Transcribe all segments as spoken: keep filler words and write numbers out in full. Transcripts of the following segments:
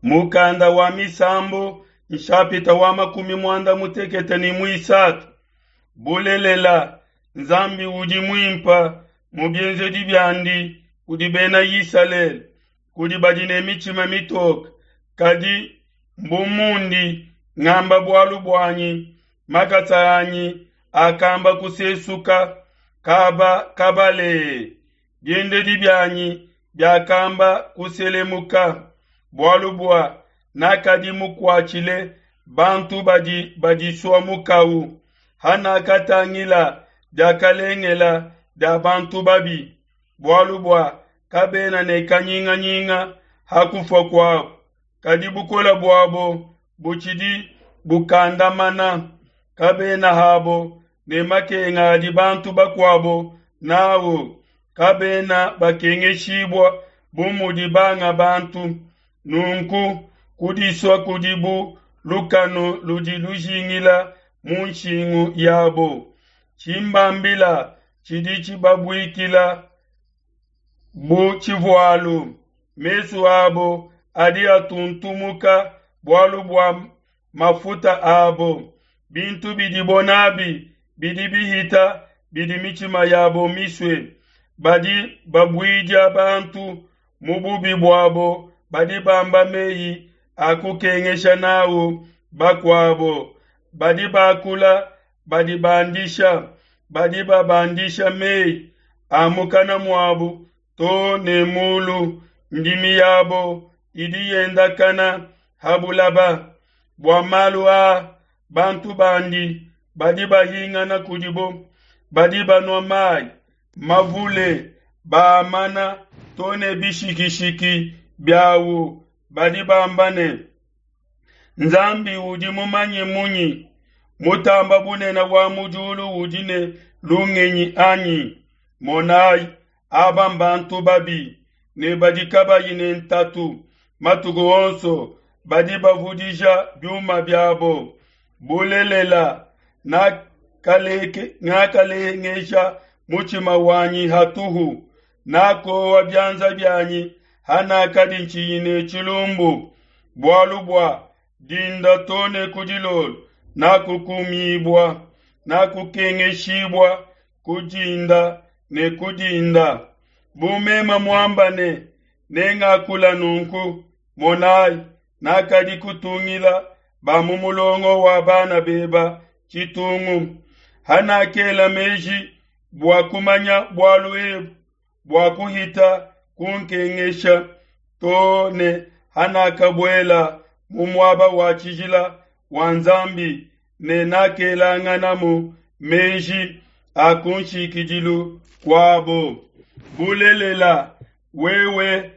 Mukanda wa Misambu nshapita wa makumi muanda mutekete ne muisatu. Bulelela, Nzambi udi muimpa mu bienzedi biandi kudi bena Isalele, kudi badi ne mitshima mitoke. Kadi mbu mundi ngamba bualu buanyi, makasa anyi akamba kusesuka kaba kabale, biendedi bianyi biakamba kuselemuka, bualu bua nakadi mukuatshile bantu badi badisua mukau, hanakatangila diakalengela dia bantu babi, bualu bua kabena ne kanyinganyinga ha kufua kuabo, kadi bukole buabo butshidi bukandamana, kabena habo ne makenga adi bantu bakuabo nawo, kabena bakengeshibua bu mudi banga bantu. Nunku kudisua kudi bu lukanu ludi lujingila mu nshingu yabo, tshimbambila tshidi tshibabuikila bu tshivualu, mesu abo adi atuntumuka bualu bua mafuta abo, bintu bidibo nabi bidi bihita bidi mitshima yabo misue. Badi babuidia bantu mu bubi buabo, badi bamba meyi a kukengesha nawu bakuabo, badi bakula badi bandisha, badi babandisha meyi a mukana muabu to ne mulu, ndimi yabo idi yendakana ha bulaba. Bua malu aa bantu bandi badi bahingana kudibo, badi banua mayi mavule baamana to ne bishikishiki biawu, badi bamba ne, Nzambi udi mumanye munyi? Mutamba bunene wa mu diulu udi ne lungenyi anyi? Monayi, aba mbantu babi ne badi kabayi ne ntatu matuku onso, badi bavudija biuma biabo. Bulelela, nakalengesha mutshima wanyi hatuhu, nakowa bianza bianyi hanakadi ntshiyi ne tshilumbu, bualu bua dinda to ne ku dilolo nakukumibua, nakukengeshibua ku dinda ne ku dinda. Bu meme muamba ne, nengakula nunku, monayi, nakadi kutungila ba mu mulongo wa bana beba tshitungu. Hanakela meji bua kumanya bualu ebu, bua kuhita kunkengesha, to ne hanakabuela mu muaba wa tshijila wa Nzambi, ne nakelanganamu meji a kunshikidilu kuabo. Bulelela, wewe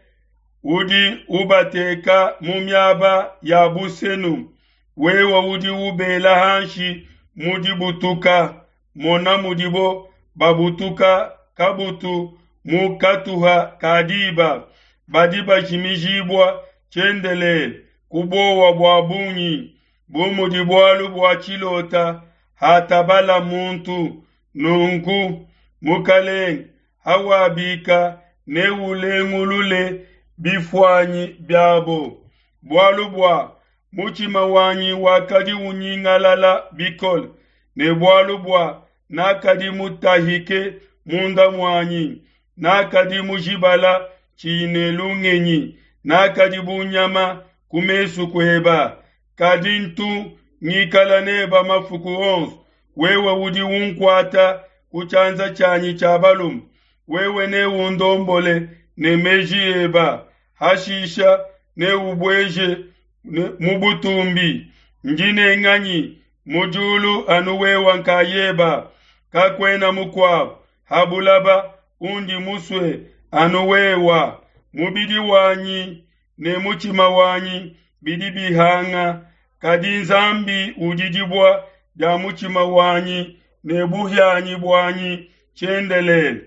udi ubateka mu miaba ya busenu, wewe udi ubela hanshi mu dibutuka. Mona mudibo babutuka kabutu mu katuha ka diba, badi bajimijibua tshiendelele ku buowa bua bungi, bu mudi bualu bua tshilota hatabala muntu. Nunku Mukalenge, hawabika neulengulule bifuanyi biabo, bualu bua mutshima wanyi wakadi unyingalala bikole, ne bualu bua nakadi mutahike munda muanyi, nakadi mujibala tshiyi ne lungenyi, nakadi bu nyama ku mesu kueba. Kadi ntu ngikala neba mafuku onso, wewe udi unkuata ku tshianza tshianyi tshia balume, wewe neundombole ne meji eba, hashisha neubueje mu butumbi. Ndi ne nganyi mu diulu anu wewe nkayeba, kakuena mukuabo ha bulaba undi musue anu wewa. Mubidi wanyi ne mutshima wanyi bidi bihanga, kadi Nzambi udi dibua dia mutshima wanyi ne buhianyi buanyi tshiendelele.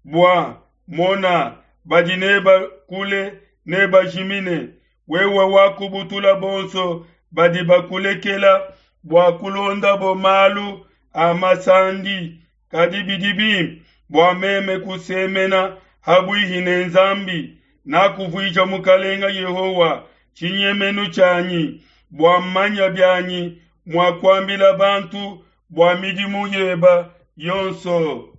Bua mona, badi neba kule ne bajimine, wewe wakubutula bonso badi bakulekela bua kulondabo malu a masandi. Kadi bidi bimpe bua meme kusemena habuihi ne Nzambi, nakuvuija Mukalenga Yehowa tshinyemenu tshianyi, bua mmanya bianyi mua kuambila bantu bua midimu yeba yonso.